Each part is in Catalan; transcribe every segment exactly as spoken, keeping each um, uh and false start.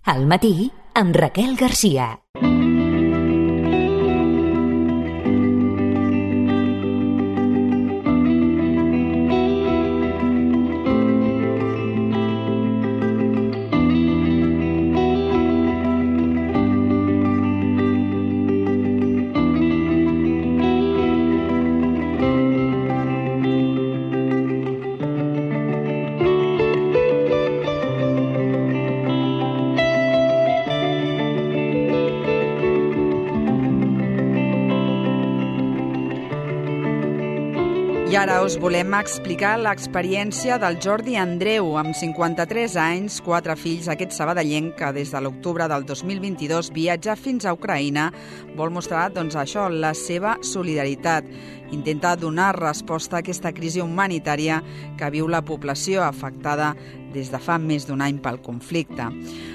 Al matí, amb Raquel Garcia. I ara us volem explicar l'experiència del Jordi Andreu, amb cinquanta-tres anys, quatre fills, aquest sabadellenc que des de l'octubre del dos mil vint-i-dos viatja fins a Ucraïna, vol mostrar doncs, això, la seva solidaritat. Intenta donar resposta a aquesta crisi humanitària que viu la població afectada des de fa més d'un any pel conflicte.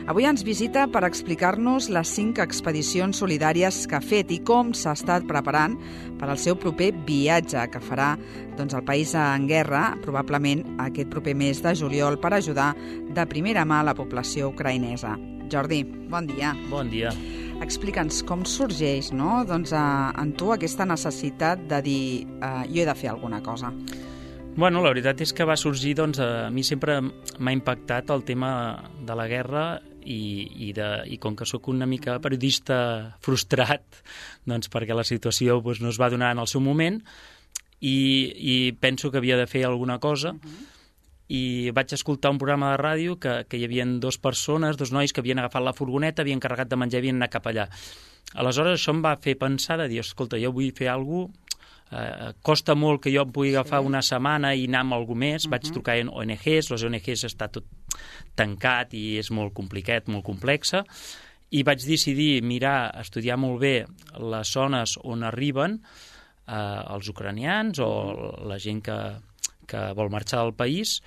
Avui ens visita per explicar-nos les cinc expedicions solidàries que ha fet i com s'ha estat preparant per al seu proper viatge que farà doncs, el país en guerra, probablement aquest proper mes de juliol, per ajudar de primera mà la població ucraïnesa. Jordi, bon dia. Bon dia. Explica'ns com sorgeix, no? doncs, a, en tu aquesta necessitat de dir eh, jo he de fer alguna cosa. Bueno, la veritat és que va sorgir, doncs, a mi sempre m'ha impactat el tema de la guerra i, i, de, i com que sóc una mica periodista frustrat, doncs perquè la situació doncs, no es va donar en el seu moment i, i penso que havia de fer alguna cosa. Uh-huh. I vaig escoltar un programa de ràdio que, que hi havia dues persones, dos nois que havien agafat la furgoneta, havien carregat de menjar i havien anat cap allà. Aleshores això em va fer pensar de dir, escolta, jo vull fer alguna cosa, eh, costa molt que jo em pugui agafar sí. una setmana i anar amb algú més, uh-huh. vaig trucar a O N Ges, les O N Ges està tot tancat i és molt complicat, molt complexa, i vaig decidir mirar, estudiar molt bé les zones on arriben eh, els ucranians o la gent que que vol marxar del país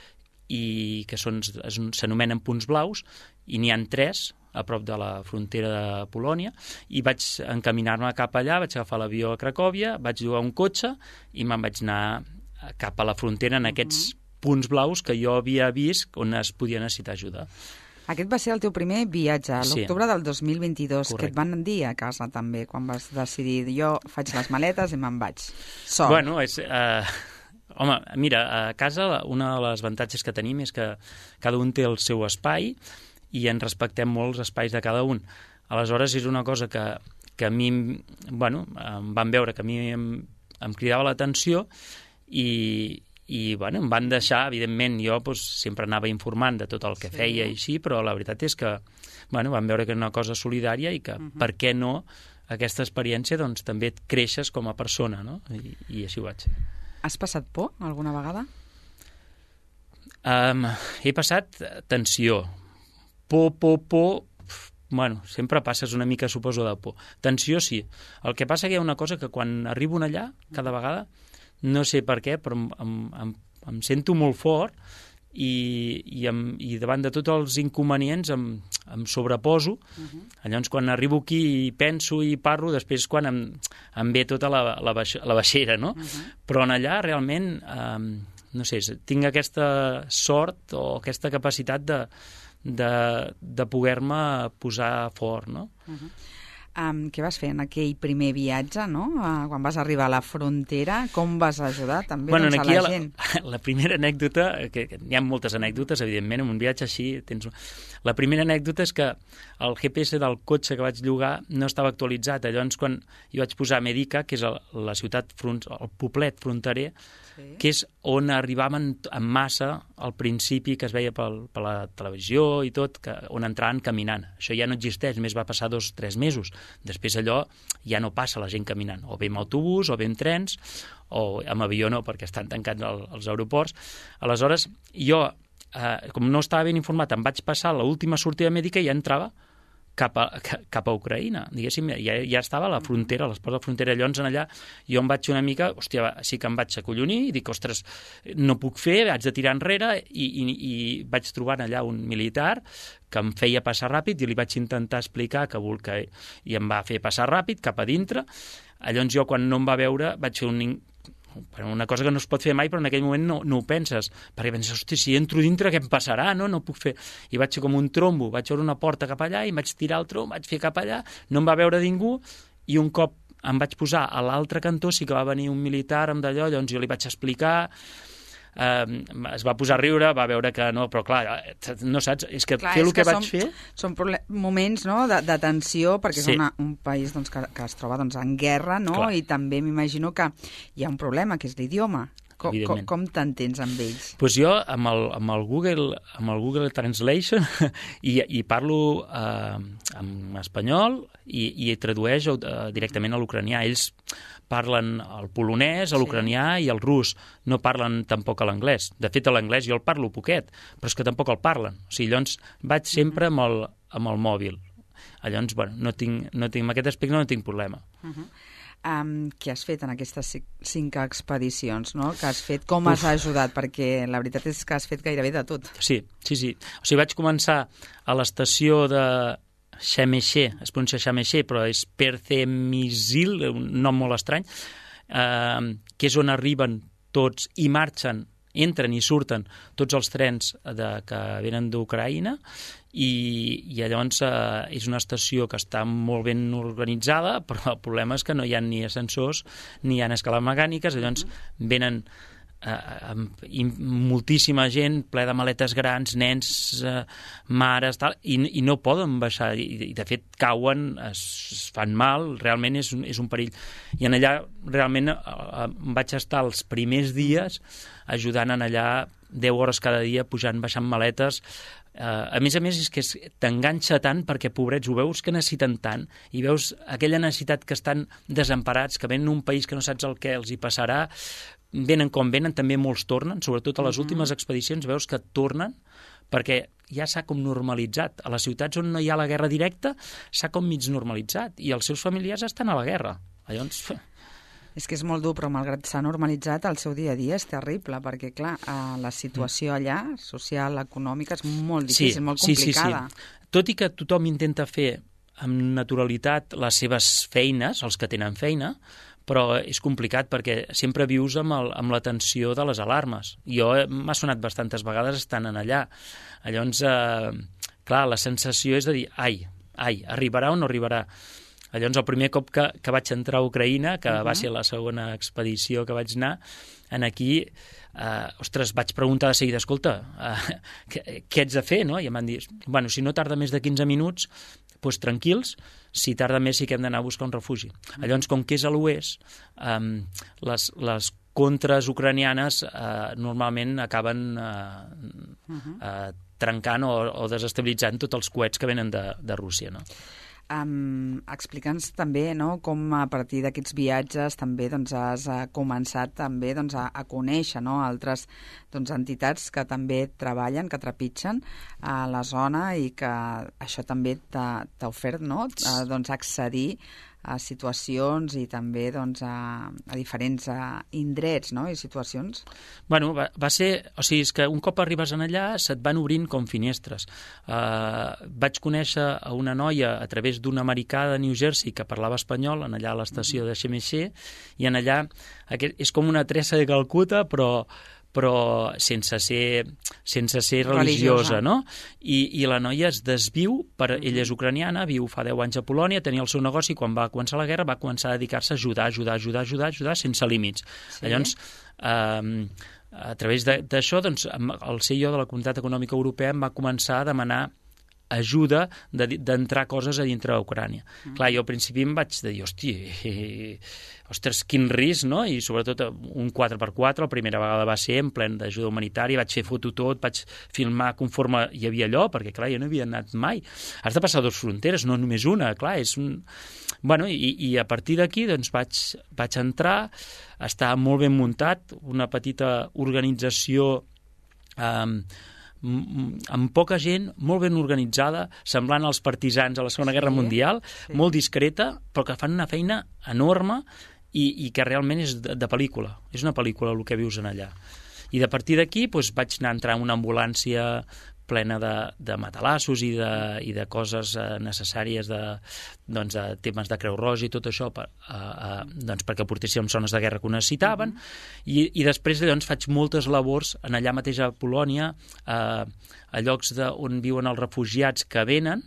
i que són, s'anomenen punts blaus, i n'hi ha tres a prop de la frontera de Polònia, i vaig encaminar-me cap allà, vaig agafar l'avió a Cracòvia, vaig llogar un cotxe i me'n vaig anar cap a la frontera en aquests uh-huh. punts blaus que jo havia vist on es podia necessitar ajuda. Aquest va ser el teu primer viatge, a l'octubre sí. del dos mil vint-i-dos, Correcte. Que et van dir a casa també, quan vas decidir, jo faig les maletes i me'n vaig. Sol. Bueno, és... Uh... Home, mira, a casa un dels avantatges que tenim és que cada un té el seu espai i ens respectem molt els espais de cada un. Aleshores, és una cosa que, que a mi, bueno, em van veure que a mi em, em cridava l'atenció i, i bueno, em van deixar, evidentment, jo doncs, sempre anava informant de tot el que sí. feia i així, però la veritat és que bueno, van veure que era una cosa solidària i que, uh-huh. per què no, aquesta experiència doncs, també et creixes com a persona, no? I, i així ho vaig fer. Has passat por alguna vegada? Um, he passat tensió. Por, por, por... Bueno, sempre passes una mica, suposo, de por. Tensió, sí. El que passa que hi ha una cosa que quan arribo allà, cada vegada, no sé per què, però em, em, em, em sento molt fort i, i, em, i davant de tots els inconvenients em, em sobreposo. Uh-huh. Llavors, quan arribo aquí i penso i parlo, després quan em, em ve tota la, la, baix, la baixera, no? Uh-huh. Però en allà realment, eh, no sé, tinc aquesta sort o aquesta capacitat de, de, de poder-me posar fort, no? Uh-huh. Um, què vas fer en aquell primer viatge, no? Uh, quan vas arribar a la frontera, com vas ajudar també bueno, doncs, a la, la gent? La, la primera anècdota, que, que hi ha moltes anècdotes, evidentment, en un viatge així tens... La primera anècdota és que el G P S del cotxe que vaig llogar no estava actualitzat. Llavors, quan jo vaig posar Medica, que és el, la ciutat, front, el poblet fronterer, sí. que és on arribaven en massa al principi, que es veia pel, per la televisió i tot, que, on entraven caminant. Això ja no existeix, només va passar dos o tres mesos. Després allò ja no passa la gent caminant, o bé amb autobús, o bé amb trens, o amb avió no, perquè estan tancats el, els aeroports. Aleshores, jo, eh, com no estava ben informat, em vaig passar l'última sortida mèdica i ja entrava cap a, cap a Ucraïna, diguéssim, ja, ja estava a la frontera, a les portes de la frontera. Llavors, allà, jo em vaig una mica, hòstia, sí que em vaig acollonir i dic, ostres, no puc fer, haig de tirar enrere, i, i, i vaig trobar allà un militar que em feia passar ràpid i li vaig intentar explicar que vol que... i em va fer passar ràpid cap a dintre. Llavors jo, quan no em va veure, vaig fer un, una cosa que no es pot fer mai, però en aquell moment no, no ho penses, perquè penses, hosti, si entro dintre què em passarà, no? No puc fer... I vaig fer com un trombo, vaig veure una porta cap allà i vaig tirar el trom, vaig fer cap allà, no em va veure ningú, i un cop em vaig posar a l'altre cantó sí que va venir un militar amb d'allò, llavors jo li vaig explicar... Uh, es va posar a riure, va veure que no, però clar, no saps, és que clar, fer el que, que vaig som, fer... Són moments, no?, de, de tensió, perquè sí. és una, un país doncs, que, que es troba doncs, en guerra, no?, clar. I també m'imagino que hi ha un problema, que és l'idioma. Com, com, com t'entens amb ells? Pues jo, amb el, amb el, Google, amb el Google Translation, i, i parlo eh, en espanyol i, i tradueix eh, directament a l'ucranià. Ells parlen el polonès, l'ucranià sí. i el rus. No parlen tampoc a l'anglès. De fet, a l'anglès jo el parlo poquet, però és que tampoc el parlen. O sigui, llavors vaig sempre amb el, amb el mòbil. Llavors, bueno, no tinc, no tinc, amb aquest aspecte no tinc problema. Uh-huh. Um, què has fet en aquestes cinc expedicions, no? Que has fet? Com Uf. Has ajudat? Perquè la veritat és que has fet gairebé de tot. Sí, sí, sí. O sigui, vaig començar a l'estació de Chemexé, es pronuncia Chemexé, però és Percemisil, un nom molt estrany, eh, que és on arriben tots i marxen, entren i surten tots els trens de, que venen d'Ucraïna, i, i llavors eh, és una estació que està molt ben organitzada, però el problema és que no hi ha ni ascensors ni hi ha escales mecàniques, llavors venen eh, amb, moltíssima gent, ple de maletes grans, nens, eh, mares, tal, i, i no poden baixar, i, i de fet cauen, es, es fan mal, realment és un, és un perill. I en allà realment eh, vaig estar els primers dies ajudant en allà deu hores cada dia, pujant, baixant maletes. Uh, a més a més, és que t'enganxa tant perquè, pobrets, ho veus que necessiten tant i veus aquella necessitat que estan desemparats, que venen un país que no saps el que els hi passarà, venen com venen, també molts tornen, sobretot a les uh-huh. últimes expedicions veus que tornen perquè ja s'ha com normalitzat. A les ciutats on no hi ha la guerra directa s'ha com mig normalitzat i els seus familiars estan a la guerra. Llavors... És que és molt dur, però malgrat s'ha normalitzat, el seu dia a dia és terrible, perquè, clar, la situació allà, social, econòmica, és molt difícil, sí, molt complicada. Sí, sí, sí. Tot i que tothom intenta fer amb naturalitat les seves feines, els que tenen feina, però és complicat perquè sempre vius amb, el, amb la tensió de les alarmes. Jo m'ha sonat bastantes vegades estant en allà. Llavors, eh, clar, la sensació és de dir, ai, ai, arribarà o no arribarà? Llavors, el primer cop que, que vaig entrar a Ucraïna, que uh-huh. va ser la segona expedició que vaig anar, en aquí, eh, ostres, vaig preguntar de seguida, escolta, eh, què, què ets de fer, no? I em van dir, bueno, si no tarda més de quinze minuts, doncs tranquils, si tarda més sí que hem d'anar a buscar un refugi. Uh-huh. Llavors, com que és a l'oest, eh, les, les contres ucranianes eh, normalment acaben eh, uh-huh. eh, trencant o, o desestabilitzant tots els coets que venen de, de Rússia, no? Um, explica'ns també, no?, com a partir d'aquests viatges també doncs, has uh, començat també doncs, a, a conèixer, no?, altres doncs, entitats que també treballen, que trepitgen a la zona i que això també t'ha, t'ha ofert, no?, uh, doncs, accedir a situacions i també doncs, a, a diferents a, indrets, no?, i situacions. Bueno, va, va ser... O sigui, és que un cop arribes en allà se't van obrint com finestres. Uh, vaig conèixer a una noia a través d'un americà de New Jersey que parlava espanyol, en allà a l'estació de Chemexé, i en allà aquest, és com una Teresa de Calcuta, però però sense ser, sense ser religiosa, religiosa, no? I, I la noia es desviu, per, ella és ucraniana, viu fa deu anys a Polònia, tenia el seu negoci, quan va començar la guerra va començar a dedicar-se a ajudar, ajudar, ajudar, ajudar, ajudar sense límits. Sí. Llavors, eh, a través d'això, doncs, el C I O de la Comunitat Econòmica Europea em va començar a demanar ajuda d'entrar coses a dintre d'Ucrània. Mm. Clar, jo al principi em vaig dir, hosti, ostres, quin risc, no? I sobretot un quatre per quatre, la primera vegada va ser en plen d'ajuda humanitària, vaig fer foto tot, vaig filmar conforme hi havia allò, perquè clar, jo no havia anat mai. Has de passar dues fronteres, no només una, clar, és un... Bueno, i, i a partir d'aquí doncs vaig, vaig entrar, estava molt ben muntat, una petita organització eh, amb poca gent, molt ben organitzada, semblant als partisans a la Segona Guerra sí, Mundial, sí. molt discreta, però que fan una feina enorme i, i que realment és de, de pel·lícula. És una pel·lícula el que vius en allà. I de partir d'aquí doncs, vaig anar a entrar en una ambulància plena de, de matalassos i de, i de coses eh, necessàries de, doncs, de temes de Creu Roja i tot això per, eh, eh, doncs, perquè portéssim zones de guerra que ho necessitaven. Mm-hmm. I, i després doncs, faig moltes labors en allà mateix a Polònia, eh, a llocs de, on viuen els refugiats que venen,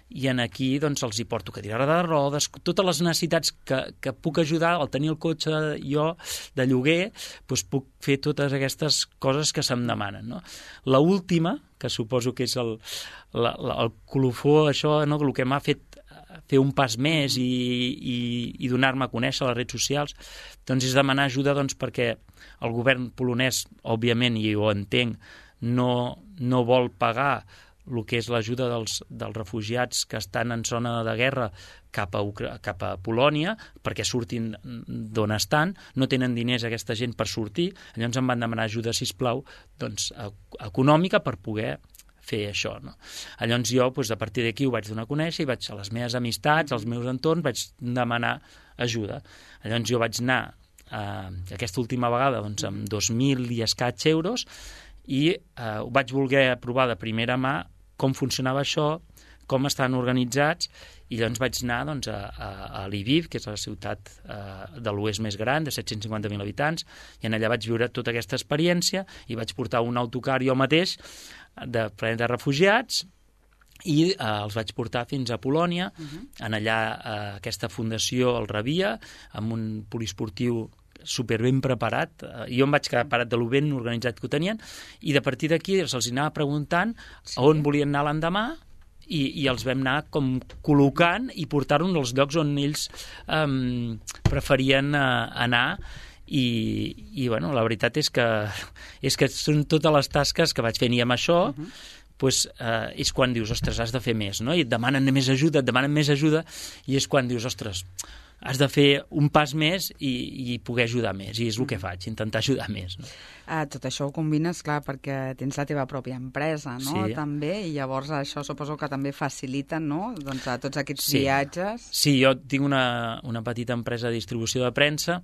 i en aquí doncs, els hi porto cadira de rodes, totes les necessitats que, que puc ajudar, al tenir el cotxe jo de lloguer, doncs puc fer totes aquestes coses que se'm demanen. No? La última, que suposo que és el, la, la, el colofó, això, no? El que m'ha fet fer un pas més i, i, i donar-me a conèixer a les redes socials, doncs és demanar ajuda doncs, perquè el govern polonès, òbviament, i ho entenc, no, no vol pagar el que és l'ajuda dels, dels refugiats que estan en zona de guerra cap a, Ucra cap a Polònia, perquè surtin d'on estan, no tenen diners aquesta gent per sortir, llavors em van demanar ajuda, sisplau, doncs, econòmica per poder fer això. No? Llavors jo, doncs, a partir d'aquí ho vaig donar a conèixer i vaig a les meves amistats, als meus entorns, vaig demanar ajuda. Llavors jo vaig anar eh, aquesta última vegada doncs, amb dos mil i escaig euros i eh, ho vaig voler provar de primera mà com funcionava això, com estan organitzats, i llavors vaig anar doncs, a, a, a Lviv, que és la ciutat eh, de l'oest més gran, de set-cents cinquanta mil habitants, i en allà vaig viure tota aquesta experiència i vaig portar un autocar jo mateix de ple de refugiats i eh, els vaig portar fins a Polònia. Uh-huh. En allà eh, aquesta fundació el rebia amb un poliesportiu super ben preparat. Jo em vaig quedar parat de lo ben organitzat que ho tenien i de partir d'aquí se'ls anava preguntant sí. a on volien anar l'endemà i, i els vam anar com col·locant i portar-los als llocs on ells um, preferien uh, anar i, i bueno, la veritat és que, és que són totes les tasques que vaig fent i amb això uh-huh. pues, uh, és quan dius, ostres, has de fer més, no? I et demanen més ajuda, et demanen més ajuda i és quan dius, ostres, has de fer un pas més i, i poder ajudar més, i és el que faig, intentar ajudar més. No? Uh, tot això ho combines, clar, perquè tens la teva pròpia empresa, no?, sí. també, i llavors això suposo que també facilita, no?, doncs, a tots aquests sí. viatges. Sí, jo tinc una, una petita empresa de distribució de premsa,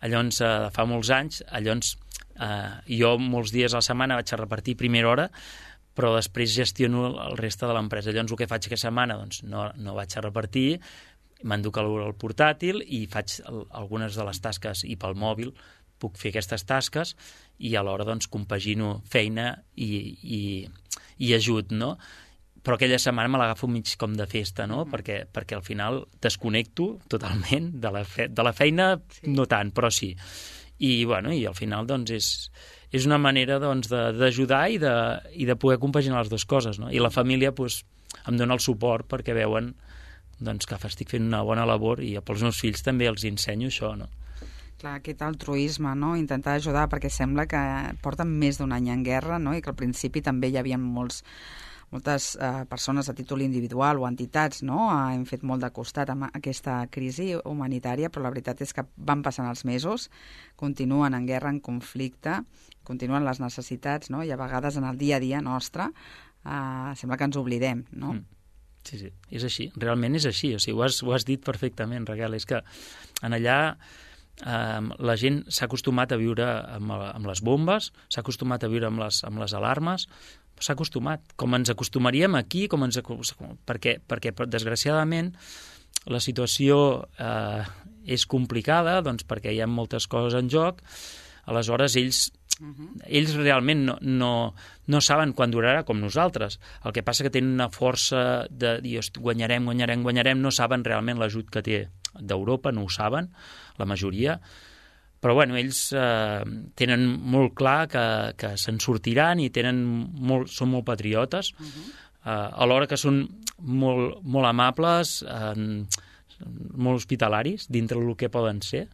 llavors, uh, fa molts anys, llavors, uh, jo molts dies a la setmana vaig a repartir primera hora, però després gestiono el reste de l'empresa. Llavors, el que faig aquesta setmana, doncs, no, no vaig a repartir, m'enduc el portàtil i faig algunes de les tasques i pel mòbil puc fer aquestes tasques i alhora doncs compagino feina i, i, i ajut, no? Però aquella setmana me l'agafo mig com de festa, no? Mm. Perquè, perquè al final desconnecto totalment de la, fe de la feina, sí. no tant, però sí. I, bueno, i al final doncs és, és una manera doncs, d'ajudar i, de, i de poder compaginar les dues coses, no? I la família doncs, em dona el suport perquè veuen doncs que estic fent una bona labor i pels meus fills també els ensenyo això, no? Clar, aquest altruisme, no?, intentar ajudar, perquè sembla que porten més d'un any en guerra, no?, i que al principi també hi havia molts, moltes eh, persones a títol individual o entitats, no?, hem fet molt de costat amb aquesta crisi humanitària, però la veritat és que van passant els mesos, continuen en guerra, en conflicte, continuen les necessitats, no?, i a vegades en el dia a dia nostre eh, sembla que ens oblidem, no?, mm. Sí, sí, és així, realment és així, o sigui, ho has, ho has dit perfectament, Raquel, és que en allà eh, la gent s'ha acostumat a viure amb, amb les bombes, s'ha acostumat a viure amb les, amb les alarmes, s'ha acostumat, com ens acostumaríem aquí, com ens, perquè, perquè desgraciadament la situació eh, és complicada, doncs perquè hi ha moltes coses en joc, aleshores ells Uh-huh. ells realment no, no, no saben quan durarà com nosaltres. El que passa que tenen una força de dir guanyarem, guanyarem, guanyarem, no saben realment l'ajut que té d'Europa, no ho saben, la majoria, però bueno, ells eh, tenen molt clar que, que se'n sortiran i tenen molt, són molt patriotes, uh-huh. eh, alhora que són molt, molt amables, eh, molt hospitalaris dintre del que poden ser.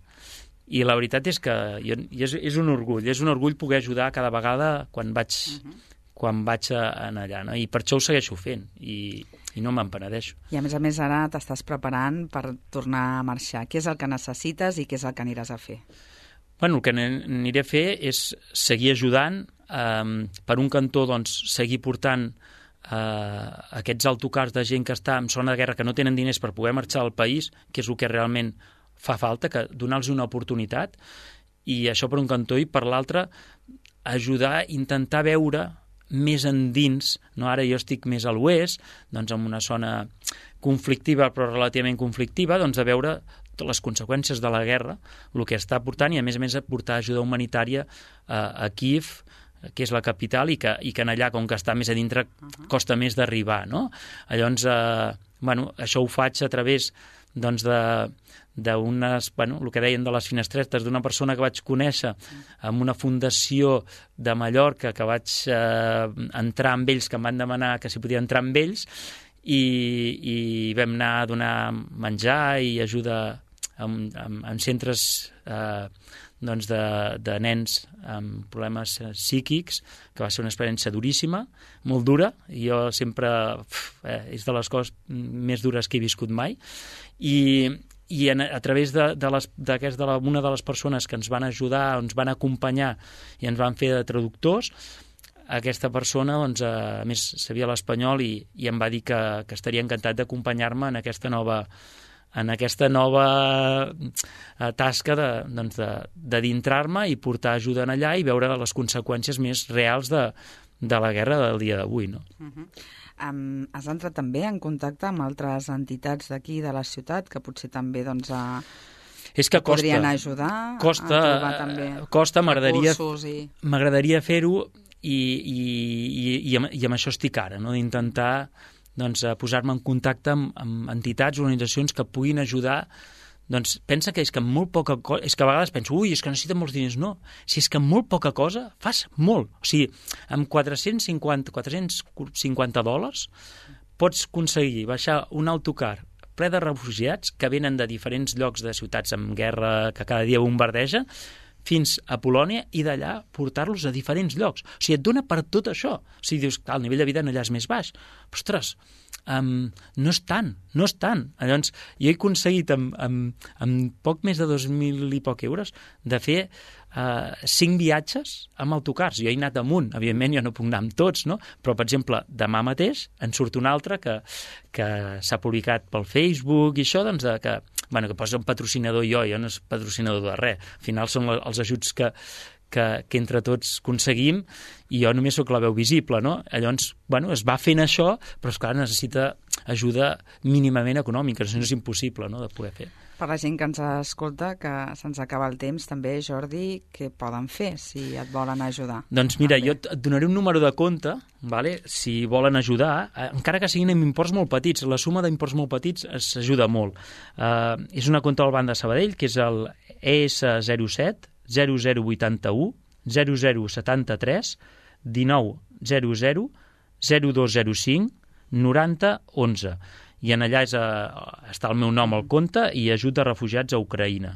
I la veritat és que jo, és, és un orgull, és un orgull poder ajudar cada vegada quan vaig, uh-huh. quan vaig a, a allà, no? I per això ho segueixo fent i, i no me'n penedeixo. I a més a més ara t'estàs preparant per tornar a marxar. Què és el que necessites i què és el que aniràs a fer? Bueno, el que aniré a fer és seguir ajudant, eh, per un cantó doncs, seguir portant eh, aquests autocars de gent que està en zona de guerra que no tenen diners per poder marxar al país, que és el que realment fa falta, que donar-los una oportunitat, i això per un cantó, i per l'altre ajudar, intentar veure més endins, no? Ara jo estic més a l'oest, doncs en una zona conflictiva però relativament conflictiva, doncs a veure les conseqüències de la guerra, el que està portant, i a més a més a portar ajuda humanitària a, a Kíev, que és la capital, i que, i que en allà, com que està més a dintre, costa més d'arribar, no? Llavors, eh, bueno, això ho faig a través doncs, de d'unes, bueno, el que deien de les finestretes, d'una persona que vaig conèixer amb una fundació de Mallorca, que vaig eh, entrar amb ells, que em van demanar que si podia entrar amb ells, i, i vam anar a donar menjar i ajuda en, en, en centres eh, doncs de, de nens amb problemes psíquics, que va ser una experiència duríssima, molt dura, i jo sempre, eh, és de les coses més dures que he viscut mai, i, i en, a través de, de, les, de, de la, una de les persones que ens van ajudar, ens van acompanyar i ens van fer de traductors, aquesta persona, doncs, a més, sabia l'espanyol i, i em va dir que, que estaria encantat d'acompanyar-me en aquesta nova en aquesta nova tasca de, doncs de, de d'entrar-me i portar ajuda en allà i veure les conseqüències més reals de, de la guerra del dia d'avui, no? Uh-huh. Um, has entrat també en contacte amb altres entitats d'aquí de la ciutat que potser també doncs, a... és que costa, podrien ajudar costa, a trobar també costa, m'agradaria i... m'agradaria fer-ho i, i, i, i, amb, i amb això estic ara, no? D'intentar doncs, posar-me en contacte amb, amb entitats, organitzacions que puguin ajudar. Doncs pensa que és que amb molt poca cosa, és que a vegades penso, ui, és que necessita molts diners. No, si és que amb molt poca cosa fas molt. O sigui, amb quatre-cents cinquanta dòlars pots aconseguir baixar un autocar ple de refugiats que venen de diferents llocs de ciutats amb guerra que cada dia bombardegen, fins a Polònia, i d'allà portar-los a diferents llocs. O sigui, et dona per tot això. O sigui, dius, el nivell de vida allà és més baix. Però, ostres, um, no és tant, no és tant. Llavors, jo he aconseguit amb, amb, amb poc més de dos mil i poc euros de fer uh, cinc viatges amb autocars. Jo he anat amunt, evidentment jo no puc anar amb tots, no? Però, per exemple, demà mateix en surt un altre que, que s'ha publicat pel Facebook i això, doncs, de, que bueno, que posa un patrocinador jo, jo no és patrocinador de res. Al final són els ajuts que, que, que entre tots aconseguim i jo només sóc la veu visible, no? Llavors, bueno, es va fent això, però esclar, necessita ajuda mínimament econòmica, no és impossible, no?, de poder fer. Per la gent que ens escolta, que se'ns acaba el temps, també, Jordi, què poden fer si et volen ajudar? Doncs mira, jo et donaré un número de compte, vale? Si volen ajudar, eh, encara que siguin amb imports molt petits, la suma d'imports molt petits s'ajuda molt. Uh, és una compte del Banc de Sabadell, que és el E S zero set zero zero vuitanta-u zero zero setanta-tres dinou zero zero zero dos zero cinc noranta onze. I en allà és a, està el meu nom al compte i ajut a refugiats a Ucraïna.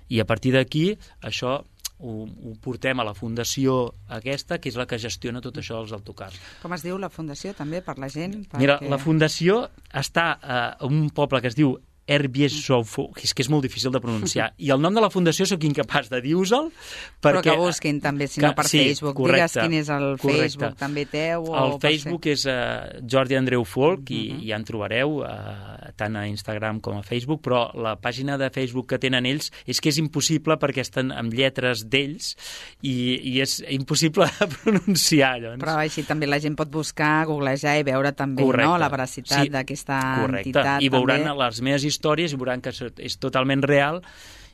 I a partir d'aquí això ho, ho portem a la fundació aquesta, que és la que gestiona tot això dels autocars. Com es diu la fundació també per la gent? Perquè... Mira, la fundació està a un poble que es diu Erbieshof, és que és molt difícil de pronunciar, i el nom de la fundació sóc incapaç de dir-vos-el, perquè... Però que busquin també, si no per sí, Facebook, correcte, digues quin és el correcte. Facebook també teu. O el Facebook és uh, Jordi Andreu Folk, i, uh -huh. i ja en trobareu uh, tant a Instagram com a Facebook, però la pàgina de Facebook que tenen ells és que és impossible perquè estan amb lletres d'ells i, i és impossible de pronunciar. Llavors. Però així també la gent pot buscar, googlejar i veure també, correcte. No, la veracitat sí, d'aquesta correcte. entitat. I veuran també. Les meves històries i veuran que és totalment real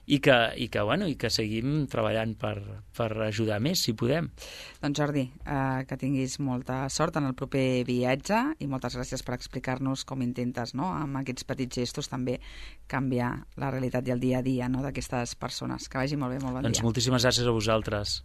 i que, i que, bueno, i que seguim treballant per, per ajudar més, si podem. Doncs Jordi, eh, que tinguis molta sort en el proper viatge i moltes gràcies per explicar-nos com intentes, no?, amb aquests petits gestos també canviar la realitat i el dia a dia, no?, d'aquestes persones. Que vagi molt bé, molt bon doncs dia. Doncs moltíssimes gràcies a vosaltres.